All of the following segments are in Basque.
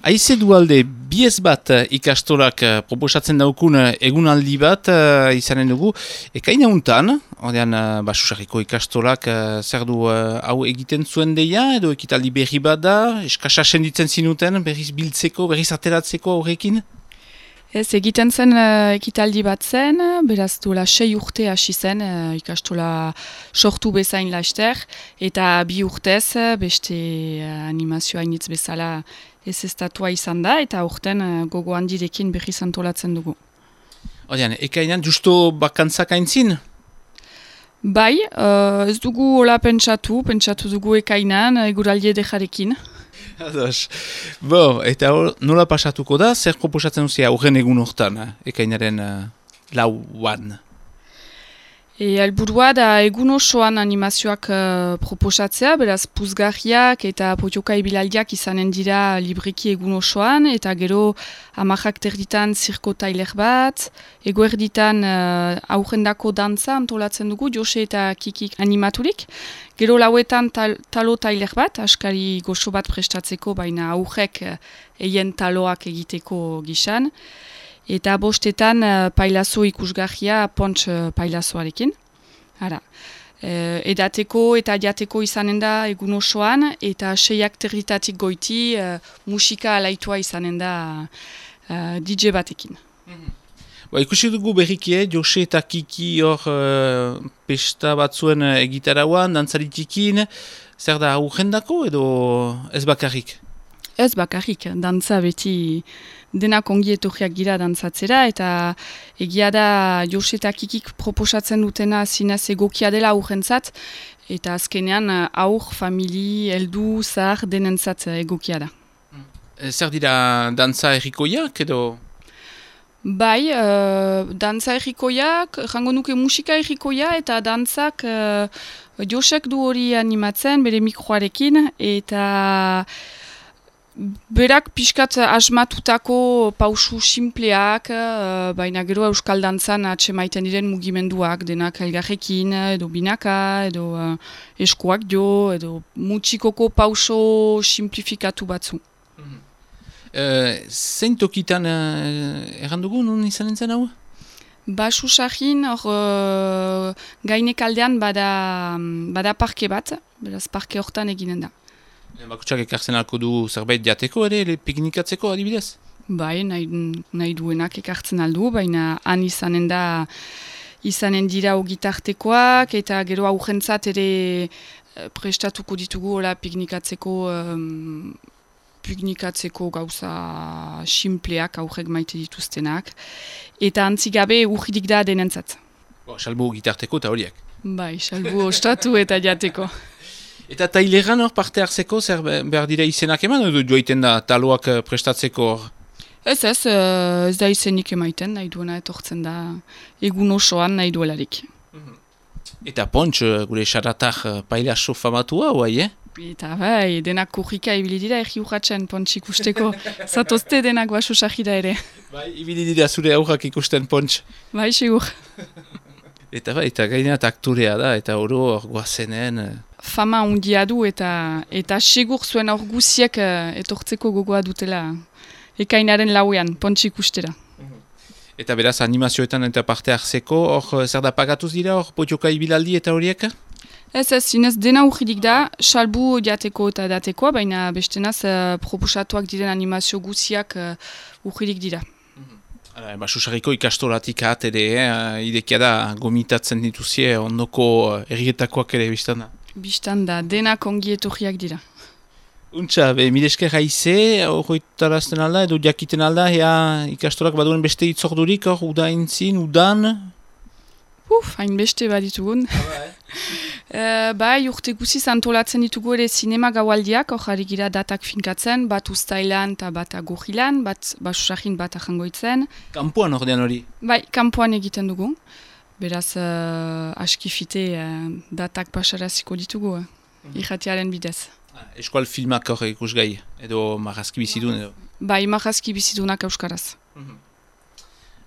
Aize dualde, biez bat ikastolak proposatzen daukun egunaldi bat izanen dugu. Ekaina untan, ordean Basusarriko ikastolak zer du hau egiten zuen deia, edo ekitaldi berri bat da, eskasa senditzen zinuten, berriz biltzeko, berriz ateratzeko horrekin? Ez, egiten zen ekitaldi bat zen, beraz duela 6 urte hasi zen ikastola sortu bezain laster, eta 2 urtez beste animazioa initz bezala ez estatua izan da, eta urten gogo handirekin berriz antolatzen dugu. Ordean, ekainan justo bakantzak aintzin? Bai, ez dugu hola pentsatu dugu ekainan, eguraldi edejarekin. Ados. Bo, eta nola pasatuko da, zer proposatzen duzia horren egun hortan, ekainaren lauan? Helburua da egun osoan animazioak proposatzea, beraz puzgarriak eta potioka ibilaldiak izanen dira libreki egun osoan, eta gero 10 terditan zirko tailer bat, eguerditan aurrendako dantza antolatzen dugu, Jose eta Kikik animaturik, gero lauetan talo tailer bat, askari goxo bat prestatzeko, baina aurrek eien taloak egiteko gisan, eta bostetan pailazo ikusgarria pontx pailazoarekin. Ara. Edateko eta jateko izanen da egun osoan, eta 6 territatik goiti musika alaitua izanen da DJ batekin. Ikusi dugu berrikie, Jose eta Kiki hor pesta batzuen egitarauan, dantzaritikin, zer da aurrendako edo ez bakarrik? Ez bakarrik, dantza beti denak ongi etorriak gira dantzatzera, eta egia da Jose eta Kikik proposatzen dutena zinez egokia dela aurrentzat, eta azkenean aur, famili, heldu, zahar denentzat egokia da. Zer dira dantza errikoiak edo? Bai, dantza errikoiak, jango nuke musika errikoia, eta dantzak Josek du hori animatzen bere mikroarekin, eta berak pixkat asmatutako pausu simpleak, baina gero euskal dantzan atsemaiten diren mugimenduak, denak elgarrekin, edo binaka, edo eskuak jo, edo mutxikoko pauso simplifikatu batzu. Zein tokitan errandugu, nun izanen zen hau? Basusarrin, gainekaldean bada parke bat, beraz parke hortan eginen da. Bakutsak ekartzen alko du zerbait jateko ere, piknikatzeko adibidez? Bai, nahi duenak ekartzen aldu, baina han izanen dira ogitartekoak, eta gero aurrentzat ere prestatuko ditugu hola piknikatzeko gauza simpleak aurrek maite dituztenak, eta antzigabe urridik da denentzat. Salbu gitarteko eta horiek? Bai, salbu ostatu eta jateko. Eta taileran hor parte hartzeko, zer behar dira izenak eman, edo joiten da taloak prestatzeko hor? Ez da izenik emaiten, nahi duena etortzen da egun osoan nahi duelarik. Eta pontx, gure xaratak pailaso famatua, guai, Eta bai, denak kurrika ibili dira erri urratzen pontx ikusteko, zatozte denak Basusarrira ere. Bai, ibili dira zure aurrak ikusten pontx. Bai, segur. Eta bai, eta gaineat aktorea da, eta oro hor guazenen... Fama undia du eta segur zuen aur guziek etortzeko gogoa dutela ekainaren lauean, pontx ikustera. Eta beraz animazioetan eta parte hartzeko, hor zer da pagatuz dira, hor potioka ibilaldi eta horiek? Ez, zinez dena urridik da, salbu jateko eta datekoa, baina bestenaz proposatuak diren animazio guziak urridik dira. Basusarriko ikastolatik ahat ere, idekia da gomitatzen dituzie ondoko errietakoak ere biztan da. Bistan da, denak ongi etorriak dira. Untxa, milesker haize, horretarazten alda, edo jakiten alda, ikastolak baduen beste itzordurik, hor, udaintzin, udan? Hain beste baditugun. Bai, urte guziz antolatzen ditugu ere sinema gaualdiak, hor jarri gira datak finkatzen, bat ustailan eta bat agurrilan, bat Basusarrin bat ajangoitzen. Kampuan ordean hori? Bai, kampuan egiten dugu. Beraz, askifite datak pasaraziko ditugu, irratiaren bidez. Eskual filmak hor ikusgai, edo marrazki bizidun edo? Bai, marrazki bizidunak euskaraz.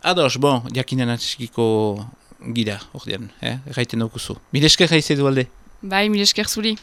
Ados, bon, jakinen atxikiko gira, ordean, erraiten daukuzu. Milesker haize du alde? Bai, milesker zuri.